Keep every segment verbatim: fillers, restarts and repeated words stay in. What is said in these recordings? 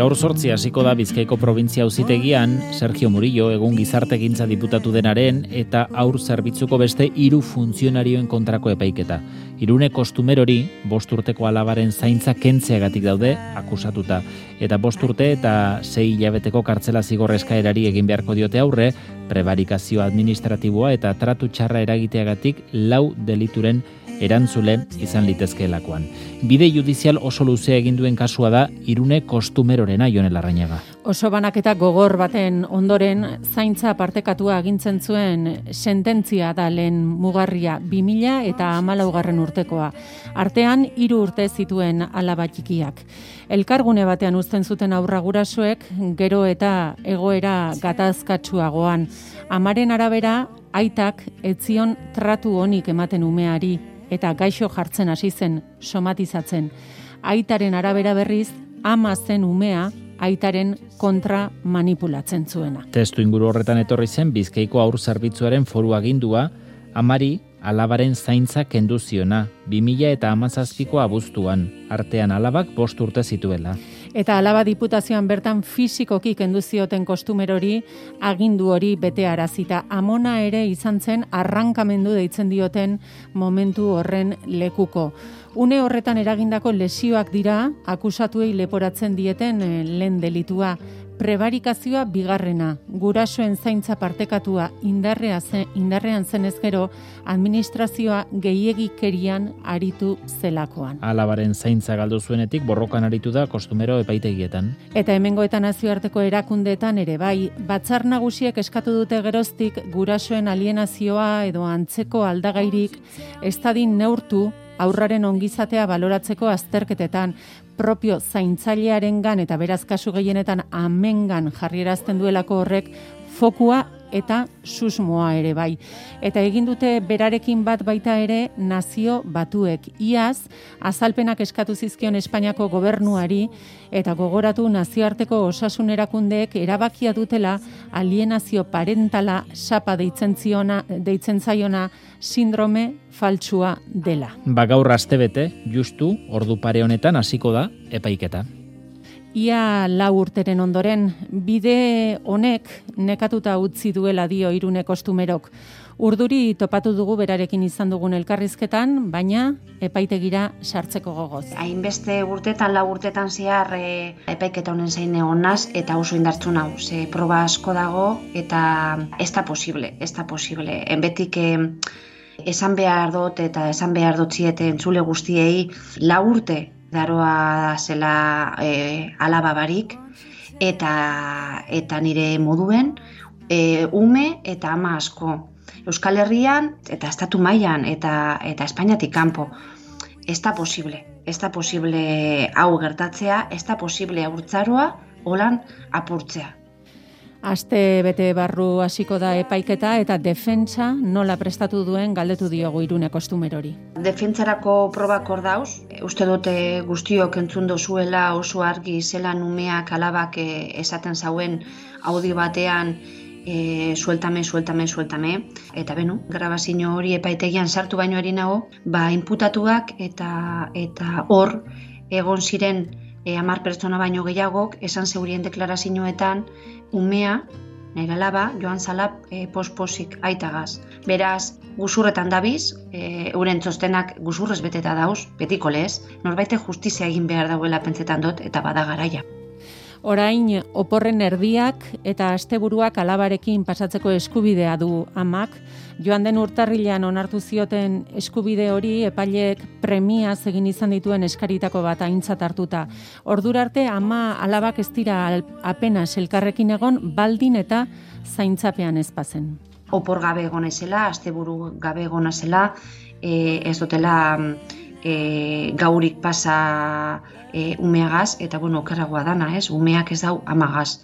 Gaur zortzi hasiko da Bizkaiko probintzia auzitegian Sergio Murillo egun gizartegintza diputatu denaren eta haur zerbitzuko beste hiru funtzionarioen kontrako epaiketa. Irune Kostumerori bost urteko alabaren zaintza kentzeagatik daude akusatuta eta bost urte eta sei hilabeteko kartzela zigor eskaerari egin beharko diote aurre, prebarikazio administratiboa eta tratu txarra eragiteagatik lau delituren erantzule izan litezkeelakoan. Bide judizial oso luzea egin duen kasua da Irune Kostumerorena, Jon Larrañaga. Oso banaketa gogor baten ondoren zaintza partekatua agintzen zuen sententzia da lehen mugarria bi mila eta hamalaugarren urtekoa. Artean hiru urte zituen alaba txikiak. Elkargune batean uzten zuten aurra gurasoek gero eta egoera gatazkatsuagoan. Amaren arabera aitak etzion tratu onik ematen umeari eta gaixo jartzen hasi zen somatizatzen. Aitaren arabera berriz, ama zen umea aitaren kontra manipulatzen zuena. Testu inguru horretan etorri zen Bizkaiko haur zerbitzuaren foru agindua, amari alabaren zaintza kendu ziona, bi mila eta hamazazpiko abuztuan, artean alabak bost urte zituela. Eta alaba diputazioan bertan fisikoki kendu zioten Kostumerori agindu hori bete arazita. Amona ere izan zen arrankamendu deitzen dioten momentu horren lekuko. Une horretan eragindako lesioak dira akusatuei leporatzen dieten lehen delitua. Prebarikazioa bigarrena, gurasoen zaintza partekatua indarrea zen, indarrean zenez gero, administrazioa gehiegikerian aritu zelakoan. Alabaren zaintza galdu zuenetik borrokan aritu da Kostumero epaitegietan. Eta hemengo eta nazioarteko erakundeetan ere bai, batzar nagusiek eskatu dute geroztik gurasoen alienazioa edo antzeko aldagairik ez dadin neurtu aurraren ongizatea baloratzeko azterketetan, propio zaintzailearengan eta beraz kasu gehienetan amengan jarrierazten duelako horrek fokua eta susmoa ere bai. Eta egin dute berarekin bat baita ere nazio batuek. Iaz, azalpenak eskatu zizkion Espainiako gobernuari eta gogoratu nazioarteko osasun erakundeek erabakia dutela alienazio parentala sapa deitzen ziona, deitzen zaiona sindrome faltsua dela. Ba gaur astebete, justu, ordu pare honetan hasiko da epaiketa. Ia lau urteren ondoren, bide honek nekatuta utzi duela dio Irune Kostumerok. Urduri topatu dugu berarekin izan dugun elkarrizketan, baina epaitegira sartzeko gogoz. Hainbeste urtetan, lau urtetan zehar e, epaiketa honen zain egonaz eta oso indartzu nau. Ze proba asko dago eta ez da posible, ez da posible. Enbetik e, esan behar dut eta esan behar dut ziete entzule guztiei lau urte daroa zela e, alaba barik eta, eta nire moduen e, ume eta ama asko. Euskal Herrian eta estatu mailan eta, eta Espainiatik kanpo. Ez da posible, ez da posible hau gertatzea, ez da posible haurtzaroa holan apurtzea. Aste bete barru hasiko da epaiketa eta defentsa nola prestatu duen galdetu diogu Irune Kostumerori. Defentsarako probak hor dauz, uste dute guztiok entzun dozuela oso argi zelan umeak alabak esaten zauen audio batean e, sueltame, sueltame, sueltame. Eta beno, grabazio hori epaitegian sartu baino ari nago, ba inputatuak eta eta hor egon ziren E, amar pertsona baino gehiagok, esan zeurien deklarazioetan, umea, nire alaba, joan zala e, posposik aitagaz. Beraz, guzurretan dabiz, e, euren txostenak guzurrez beteta dauz, betiko lez, norbaite justizia egin behar dauela pentsetan dut, eta bada garaia. Orain, oporren erdiak eta asteburuak alabarekin pasatzeko eskubidea du amak. Joan den urtarrilean onartu zioten eskubide hori epaileek premiaz egin izan dituen eskaritako bat aintzat hartuta. Ordura arte ama alabak ez dira apenas elkarrekin egon baldin eta zaintzapean ez bazen. Opor gabe egon ezela, asteburu gabe egon ezela, e, ez dutela e, gaurik pasa e, umeagaz, eta bueno, okerragoa dana, ez? Umeak ez dau amagaz.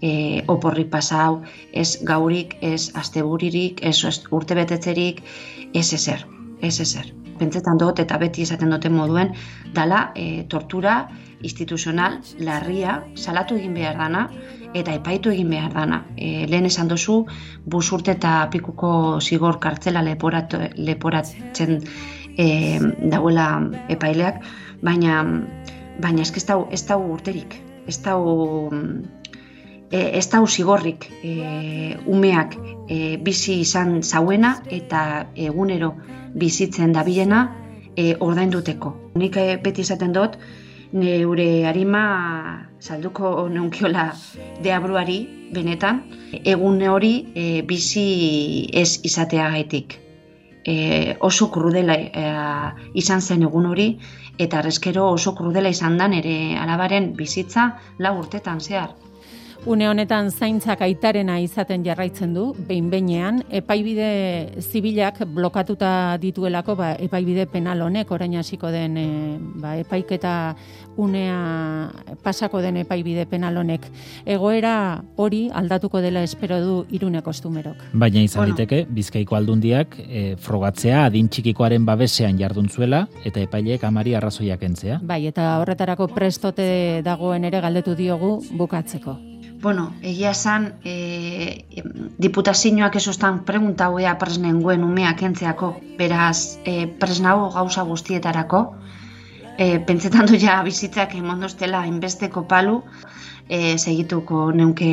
E, oporrik pasa hau, ez gaurik, ez asteburirik, ez urtebetetzerik, ez ezer, ez ezer. Pentsetan dut eta beti esaten duten moduen, dala e, tortura instituzional larria salatu egin behar dana eta epaitu egin behar dana. E, lehen esan dozu, bus urte eta pikuko zigor kartzela leporat, leporatzen e, dauela epaileak, baina, baina ez da urterik. ez dau, ez dau zigorrik e, umeak e, bizi izan zauena eta egunero bizitzen dabilena e, ordainduteko. Nik e, beti izaten dut, neure arima salduko neunkiola deabruari benetan, egun hori e, bizi ez izateagaitik. E, oso krudela e, izan zen egun hori, eta arrezkero oso krudela izan da nire alabaren bizitza lau urtetan zehar. Une honetan zaintzak aitarena izaten jarraitzen du, behin-behinean, epaibide zibilak blokatuta dituelako, ba, epaibide penal honek, orain hasiko den e, ba, epaiketa unea pasako den epaibide penal honek. Egoera hori aldatuko dela espero du Irune kostumerok. Baina izan Bueno. liteke, Bizkaiko aldundiak e, frogatzea adin txikikoaren babesean jarduntzuela eta epaileek amari arrazoiak entzea. Bai, eta horretarako prestote dagoen ere galdetu diogu bukatzeko. Bueno, egia esan, e, diputazioak esostan pregunta hauea presnenguen umeak entzeako, beraz, e, presnago gauza guztietarako, e, pentsetan du ja bizitzak emondostela inbesteko palu, e, segituko neunke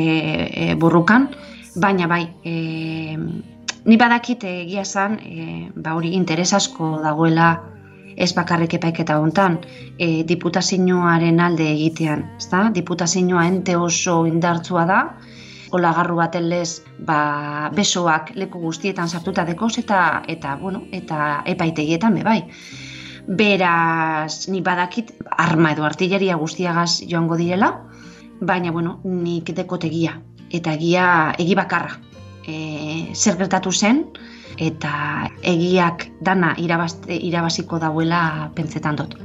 e, burrukan, baina bai, e, ni badakit egia esan, e, ba hori interes asko dagoela ez bakarrik epaiketa hontan, e, diputazioaren alde egitean, ezta? Diputazioa ente oso indartsua da, olagarru baten lez, ba, besoak leku guztietan sartuta dekoz eta eta bueno, eta epaitegietan be bai. Beraz, ni badakit arma edo artilleria guztiagaz joango direla, baina bueno, nik dekotegia eta egia egi bakarra. E, zer gertatu zen, eta egiak dana irabazte, irabaziko dauela pentsetan dut.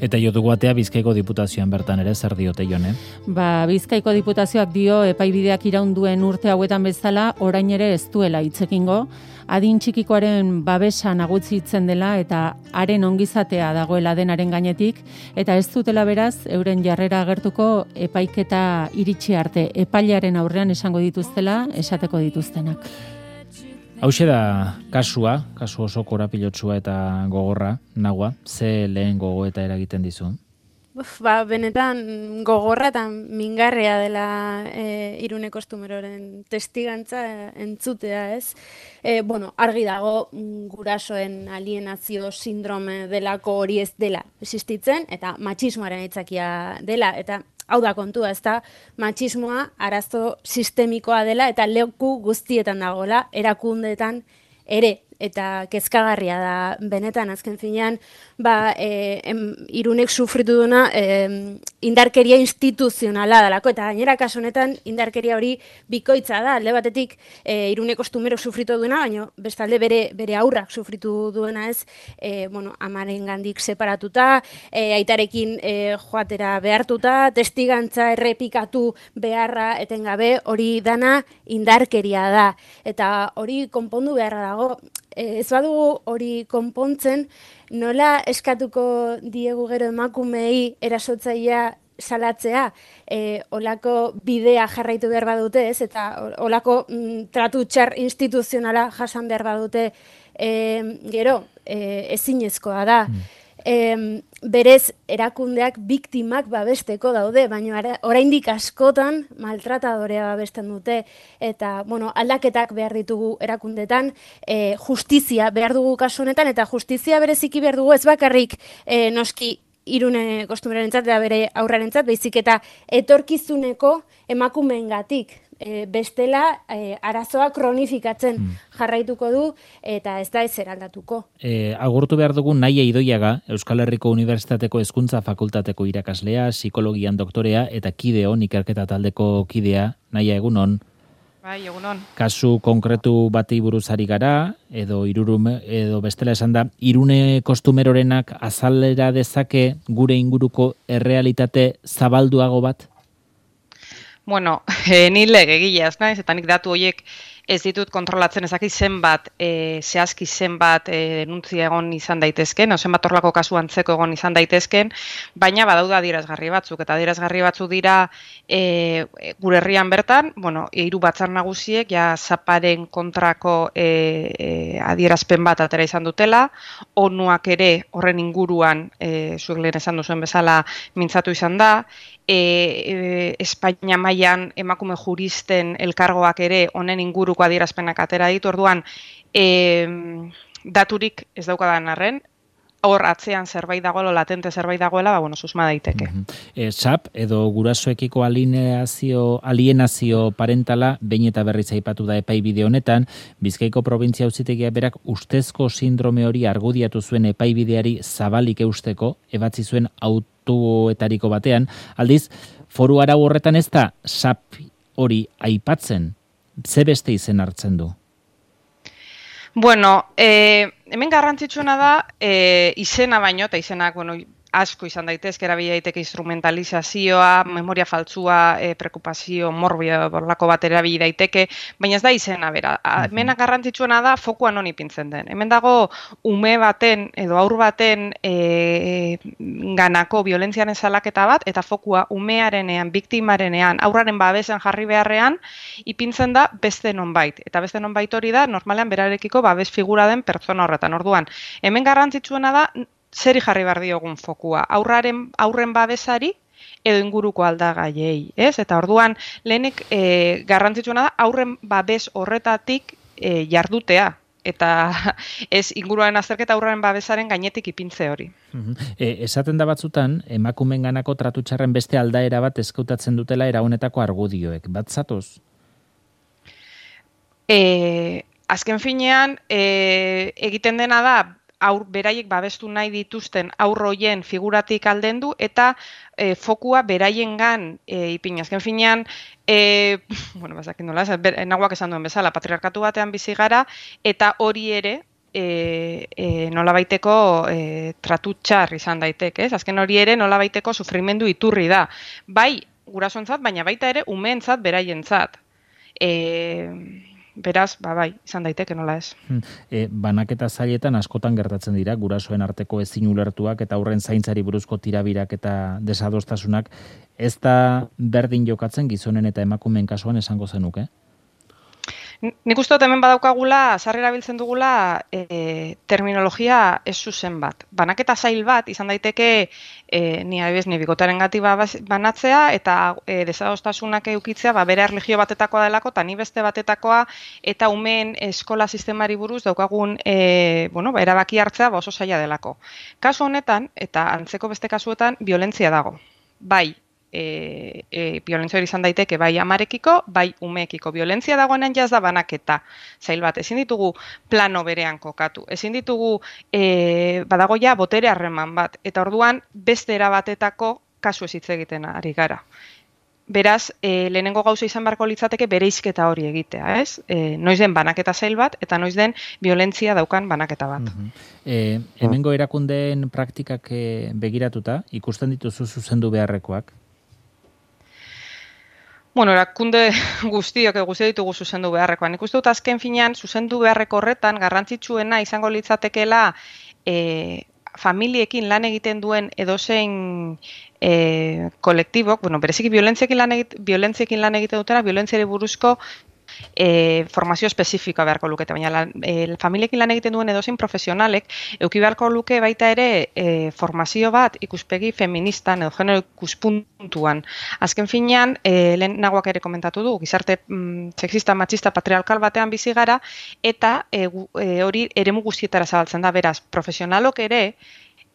Eta jo dugu atea Bizkaiko diputazioan bertan ere zer diote Jone? Ba, Bizkaiko diputazioak dio epaibideak iraunduen urte hauetan bezala orain ere ez duela hitzekingo, adin txikikoaren babesa nagusitzen dela eta haren ongizatea dagoela denaren gainetik, eta ez dutela beraz euren jarrera agertuko epaiketa iritsi arte epailearen aurrean esango dituztela esateko dituztenak. Hauxe da kasua, kasu oso korapilotsua eta gogorra, Nagua, ze lehen gogoeta eragiten dizu? Uf, ba, benetan gogorra eta mingarria dela e, Irune kostumeroren testigantza e, entzutea, ez? E, bueno, argi dago gurasoen alienazio sindrome delako hori ez dela existitzen, eta matxismoaren aitzakia dela, eta hau da kontua, ez da, matxismoa arazo sistemikoa dela eta leku guztietan dagoela, erakundeetan ere, eta kezkagarria da benetan, azken finean, ba, e, em, Irunek sufritu duna e, indarkeria instituzionala dalako, eta gainera kasu honetan indarkeria hori bikoitza da, alde batetik e, Irune kostumerok sufritu duena, baina bestalde bere, bere aurrak sufritu duena ez, e, bueno, amaren gandik separatuta, e, aitarekin e, joatera behartuta, testigantza errepikatu beharra etengabe, hori dana indarkeria da, eta hori konpondu beharra dago. Ez badugu hori konpontzen, nola eskatuko diegu gero emakumei erasotzailea salatzea, e, olako bidea jarraitu behar badute, ez, eta olako mm, tratu txar instituzionala jasan behar badute, e, gero, e, ezinezkoa da. Mm. E, berez erakundeak biktimak babesteko daude, baina oraindik askotan maltratadorea babesten dute, eta bueno, aldaketak behar ditugu erakundetan, e, justizia behar dugu kasu honetan, eta justizia bereziki behar dugu ez bakarrik e, noski Irune kostumerorentzat eta bere aurrarentzat, baizik eta etorkizuneko emakumeengatik. E, bestela e, arazoa kronifikatzen mm. jarraituko du eta ez da ezer aldatuko. E, agurtu behar dugu Naia Idoiaga, Euskal Herriko Unibertsitateko Hezkuntza Fakultateko irakaslea, psikologian doktorea eta kideon ikerketa taldeko kidea. Naia, egunon. Bai, egunon. Kasu konkretu bati buruz ari gara, edo irurum, edo bestela esan da, Irune kostumerorenak azalera dezake gure inguruko errealitate zabalduago bat? Bueno, e, ni legegileaz naiz, eta nik datu horiek ez ditut kontrolatzen ezaki zenbat, e, zehazki zenbat e, denuntzia egon izan daitezken, o zenbat horlako kasu antzeko egon izan daitezken, baina badauda adierazgarri batzuk, eta adierazgarri batzuk dira e, gure herrian bertan, bueno, hiru batzar nagusiek ja zaparen kontrako e, e, adierazpen bat atera izan dutela, onuak ere horren inguruan, e, zuek lehen esan duzuen bezala mintzatu izan da, e, e, Espainia mailan emakume juristen elkargoak ere honen inguruko adierazpenak atera ditu, orduan e, daturik ez daukadan arren, hor atzean zerbait dagoela, latente zerbait dagoela, ba, bueno, susma daiteke. Mm-hmm. e, S A P edo gurasoekiko alienazio, alienazio parentala behin eta berriz aipatu da epaibide honetan, Bizkaiko probintzia auzitegia berak ustezko sindrome hori argudiatu zuen epaibideari zabalik eusteko, ebatzi zuen autoetariko batean, aldiz, foru arau horretan ez da S A P hori aipatzen, ze beste izen hartzen du? Bueno, eh, hemen garrantzitsuena da eh, izena baino, eta izenak, bueno, asko izan daitezke, erabili daiteke instrumentalizazioa, memoria faltsua, e, preokupazio morbio borlako bat erabili daiteke, baina ez da izena bera. Hemen garrantzitsuena da fokua non ipintzen den. Hemen dago ume baten edo haur baten e, ganako violentziaren salaketa bat, eta fokua umearenean, biktimarenean, aurraren babesen jarri beharrean, ipintzen da beste nonbait. Eta beste nonbait hori da, normalean berarekiko babes figura den pertsona horretan. Orduan, hemen garrantzitsuena da, zeri jarri behar diogun fokua, aurraren, aurren babesari edo inguruko aldagaiei, ez? Eta orduan, lehenik e, garrantzitsuena da, aurren babes horretatik e, jardutea, eta ez inguruaren azterketa aurraren babesaren gainetik ipintze hori. E, esaten da batzutan, emakumen ganako tratu txarren beste aldaera bat eskautatzen dutela era honetako argudioek, bat zatoz? E, azken finean, e, egiten dena da, aur beraiek babestu nahi dituzten aurroien figuratik aldendu eta e, fokua beraiengan e, ipin. Azken finean, e, bueno, bazakin nola, nagoak esan duen bezala, patriarkatu batean bizi gara, eta hori ere e, e, nolabaiteko e, tratu txar izan daiteke, ez? Azken hori ere nolabaiteko sufrimendu iturri da. Bai gurasoentzat, baina baita ere umeentzat beraientzat. E, Beraz, ba, bai, izan daiteke nola ez. E, banaketa zailetan askotan gertatzen dira, gurasoen arteko ezin ulertuak eta aurren zaintzari buruzko tirabirak eta desadostasunak, ez da berdin jokatzen gizonen eta emakumeen kasuan esango zenuke? Nik uste dut hemen badaukagula, sarrera biltzen dugula e, terminologia ez zuzen bat. Banaketa zail bat, izan daiteke e, ni adibidez ni bikotaren gati banatzea eta e, desadostasunak eukitzea ba, bere erlijio batetakoa delako eta ni beste batetakoa eta umeen eskola sistemari buruz daukagun e, bueno, ba, erabaki hartzea ba, oso zaila delako. Kasu honetan, eta antzeko beste kasuetan, violentzia dago. Bai, E, e, violentzia hori izan daiteke bai amarekiko, bai umeekiko. Violentzia dagoenean jaz da banaketa zail bat. Ezin ditugu plano berean kokatu. Ezin ditugu e, badago ja botere harreman bat. Eta orduan beste erabatetako kasu ez hitz egiten ari gara. Beraz, e, lehenengo gauza izan beharko litzateke bereizketa hori egitea, ez? E, noiz den banaketa zail bat, eta noiz den violentzia daukan banaketa bat. Uh-huh. e, hemengo erakundeen praktikak e, begiratuta, ikusten dituzu zuzendu beharrekoak? Bueno, erakunde guztiok guzti ditugu zuzendu beharrekoan. Nik uste dut azken finean zuzendu beharreko horretan garrantzitsuena izango litzatekeela e, familiekin lan egiten duen edozein e, kolektibok, bueno, bereziki violentziekin lan, egit, violentziekin lan egiten dutena, violentziari buruzko E, formazio espezifikoa beharko lukete, baina la, e, familiekin lan egiten duen edozein profesionalek euki beharko luke baita ere e, formazio bat ikuspegi feministan edo genero ikuspuntuan. Azken finean, e, lehen nagoak ere komentatu du, gizarte mm, sexista, machista, patriarkal batean bizi gara, eta e, e, hori eremu guztietara zabaltzen da, beraz, profesionalok ere,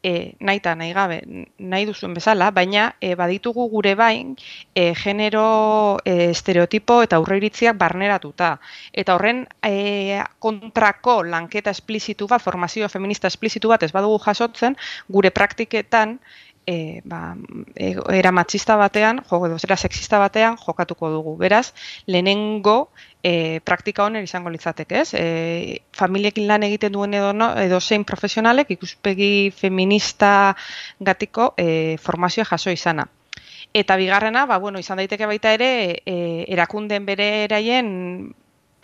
E, nahi eta nahi gabe, nahi duzuen bezala, baina e, baditugu gure bain e, genero e, estereotipo eta aurreiritziak barneratuta. Eta horren e, kontrako lanketa esplizitu bat, formazio feminista esplizitu bat ez badugu jasotzen, gure praktiketan E, ba, e, era matxista batean, jo, edo zera sexista batean jokatuko dugu. Beraz, lehenengo e, praktika honer izango litzateke, ez? E, familiekin lan egiten duen edo, no, edo zein profesionalek ikuspegi feminista gatiko e, formazioa jaso izana. Eta bigarrena, ba, bueno, izan daiteke baita ere, e, erakundeen bere eraien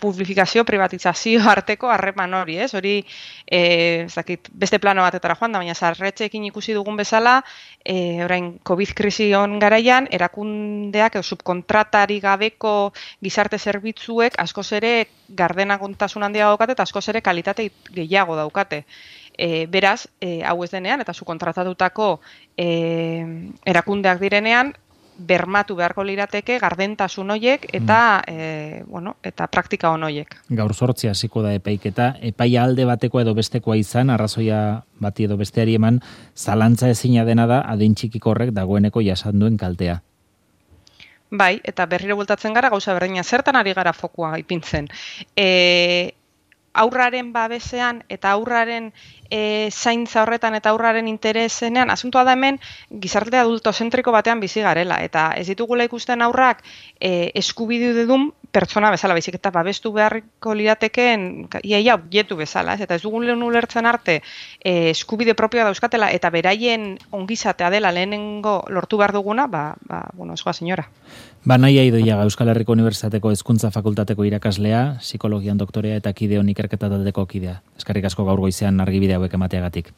publifikazio, privatizazio arteko harreman hori, ez? Hori, e, ez dakit, beste plano batetara joan da, baina sarretxeekin ikusi dugun bezala, e, orain COVID krisi on garaian, erakundeak edo subkontratari gabeko gizarte zerbitzuek askoz ere gardenagontasun handia daukate eta askoz ere kalitate gehiago daukate. E, beraz, e, hau ez denean eta subkontratatutako e, erakundeak direnean, bermatu beharko lirateke gardentasun hoiek eta mm. e, bueno, eta praktika on hoiek. Gaur zortzi hasiko da epaiketa, epaia alde bateko edo bestekoa izan, arrazoia bati edo besteari eman, zalantza ezina dena da adin txikiko horrek dagoeneko jasan duen kaltea. Bai, eta berriro bultatzen gara gauza berdina, zertan ari gara fokua ipintzen. E, aurraren babesean eta aurraren e, zaintza horretan eta aurraren interesenean, asuntoa da hemen gizarte adultozentriko batean bizi garela, eta ez ditugula ikusten aurrak e, eskubide dudun pertsona bezala, baizik eta babestu beharriko liratekeen iaia objektu bezala, ez? Eta ez dugun lehen ulertzen arte e, eskubide propioa dauzkatela eta beraien ongizatea dela lehenengo lortu behar duguna, ba, ba bueno, esgoa senyora. Ba, Naia Idoiaga, Euskal Herriko Unibertsitateko Hezkuntza Fakultateko irakaslea, psikologian doktorea eta kideon ikerketa taldeko kidea. Eskerrik asko gaur goizean argibide hauek emateagatik.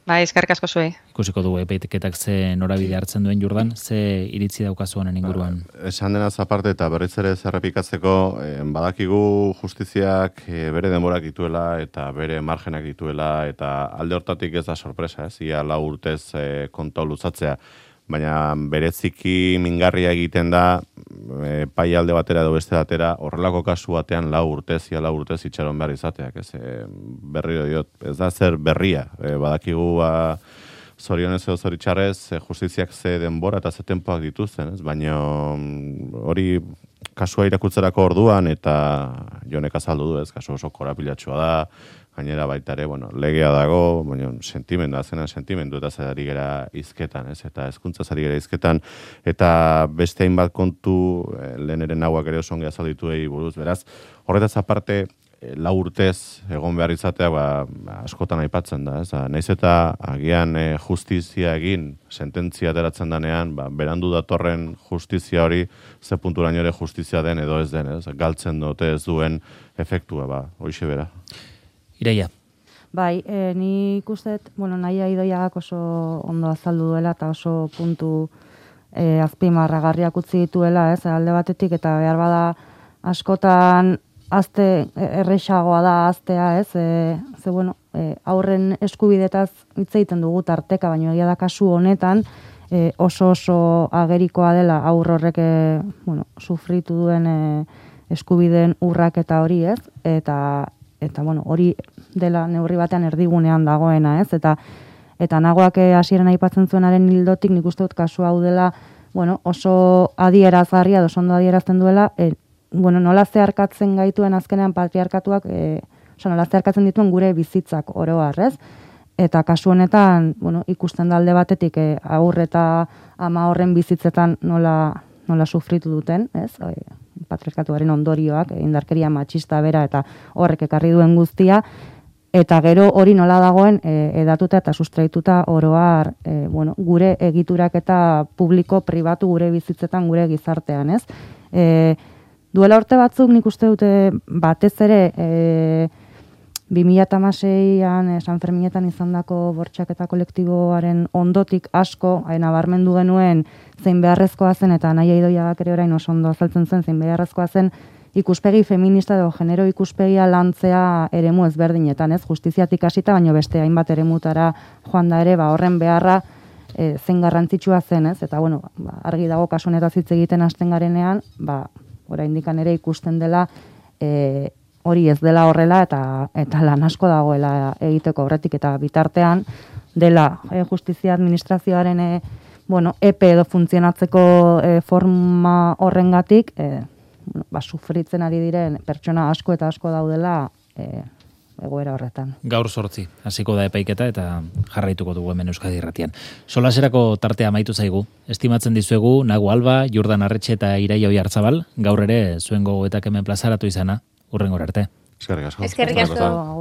Bai, eskerrik asko zuei. Ikusiko dugu epaiketak ze norabide hartzen duen Jordan, ze iritzi daukazu honen inguruan. Ba, esan denaz aparte eta berriz ere zerrepikatzeko, eh, badakigu justiziak eh, bere denborak dituela eta bere margenak dituela eta alde hortatik ez da sorpresa, ez? Ia lau urtez eh, konta luzatzea. Baina bereziki mingarria egiten da e, pai alde batera edo beste batera horrelako kasu batean lau urtez, ia lau urtez itxaron behar izateak. Ez, e, berriro diot, ez da zer berria. E, badakigu ba, zorionez edo zoritxarrez e, justiziak ze denbora eta ze tempoak dituzten. Ez? Baina hori kasua irakutzerako orduan eta Jonek azaldu du, ez, kasu oso korapilatxua da, gainera baita ere, bueno, legea dago, baina sentimendu, azena sentimendu eta zari gera izketan, ez? Eta hezkuntza zari gera izketan, eta beste hainbat kontu, eh, lehen ere nahuak ere oso ongi azalditu egi buruz, beraz, horretaz aparte, eh, lau urtez egon behar izatea, ba, askotan aipatzen da, ez? Naiz eta agian eh, justizia egin, sententzia ateratzen danean, ba, berandu datorren justizia hori, ze punturaino ere justizia den edo ez den, ez? Galtzen dute ez duen efektua, ba, hoixe bera. Iraia. Bai, e, ni ikustet, bueno, Naia Idoiagak oso ondo azaldu duela eta oso puntu e, azpimarragarriak utzi dituela, ez, alde batetik, eta behar bada askotan azte errexagoa da aztea, ez, e, ze bueno, e, aurren eskubidetaz hitz egiten dugu tarteka, baina egia da kasu honetan e, oso oso agerikoa dela aur horrek e, bueno, sufritu duen e, eskubideen urraketa hori, ez, eta eta bueno, hori dela neurri batean erdigunean dagoena, ez? Eta eta nagoak hasieran aipatzen zuenaren hildotik nik uste dut kasu hau dela, bueno, oso adierazgarria, oso ondo adierazten duela, e, bueno, nola zeharkatzen gaituen azkenean patriarkatuak, e, oso nola zeharkatzen dituen gure bizitzak oro har, ez? Eta kasu honetan, bueno, ikusten da alde batetik e, aur eta ama horren bizitzetan nola nola sufritu duten, ez? E, patriarkatuaren ondorioak, indarkeria matxista bera eta horrek ekarri duen guztia, eta gero hori nola dagoen e, edatuta eta sustraituta oroar e, bueno, gure egiturak eta publiko, pribatu gure bizitzetan, gure gizartean, ez? E, duela urte batzuk nik uste dute batez ere e, bi mila hamaseian e, San Ferminetan izandako bortxaketa kolektiboaren ondotik asko e, nabarmendu genuen zein beharrezkoa zen, eta Naia Idoiagak ere orain oso ondo azaltzen zen, zein beharrezkoa zen ikuspegi feminista edo genero ikuspegia lantzea eremu ezberdinetan, ez? Justiziatik hasita, baino beste hainbat eremutara joan da ere, ba horren beharra e, zein garrantzitsua zen, ez? Eta bueno, ba, argi dago kasu honetaz hitz egiten hasten garenean, ba oraindikan ere ikusten dela e, hori ez dela horrela eta eta lan asko dagoela egiteko horretik, eta bitartean dela e, justizia administrazioaren e, bueno, epe edo funtzionatzeko e, forma horrengatik e, bueno, ba, sufritzen ari diren pertsona asko eta asko daudela e, egoera horretan. Gaur zortzi, hasiko da epaiketa eta jarraituko dugu hemen Euskadi Irratian. Solaserako tartea amaitu zaigu. Estimatzen dizuegu Nagu Alba, Jordan Arretxe eta Iraia Oiartzabal, gaur ere zuen gogoetak hemen plazaratu izana. Hurrengora arte. Eskerrik asko. Eskerrik asko.